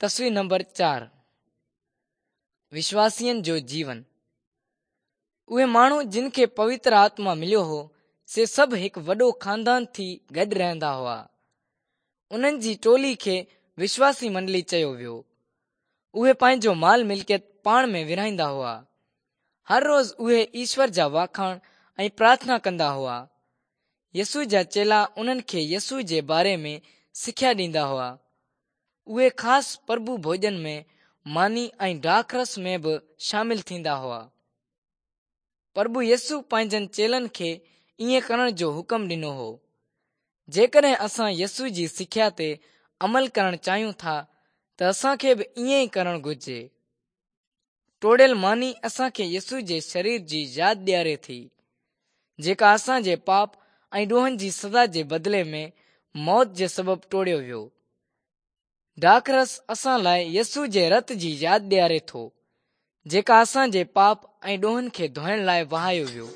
تصوير نمبر 4 وشواسين جو جيون. اهي ماڻهو جن کي پوتر آتما مليو هو، سي سڀ هڪ وڏو خاندان ٿي گڏ رهندا هئا. انهن جي ٽولي کي وشواسي منڊلي چيو ويو. اهي پنهنجو مال ملڪيت پاڻ ۾ ورهائيندا هئا. هر روز اهي ايشور جا واکاڻ ۽ پرارٿنا ڪندا هئا. يسوع جا چيلا انهن کي يسوع جي باري ۾ سکيا ڏيندا هئا. اهي خاص پرڀو ڀوڄن ۾ ماني ۽ ڊاک رس ۾ به شامل ٿيندا هئا. پرڀو يسوع پنهنجن چيلن کي ائين ڪرڻ جو حڪم ڏنو هو. جيڪڏهن اسان يسوع جي سکيا تي عمل ڪرڻ چاهيون ٿا ته اسان کي به ائين ئي ڪرڻ گهرجي. ٽوڙيل ماني اسان کي يسوع جي شرير جي ياد ڏياري ٿي، جيڪا اسان جي پاپ ۽ ڏوهن جي سزا جي بدلي ۾ موت جي سبب ٽوڙيو ويو. ڊاک رس اسان لاء يسوع جي رت جي ياد ڏياري ٿو، جيڪا اسان جي پاپ ۽ ڏوهن کي ڌوئڻ لاء وهايو ويو.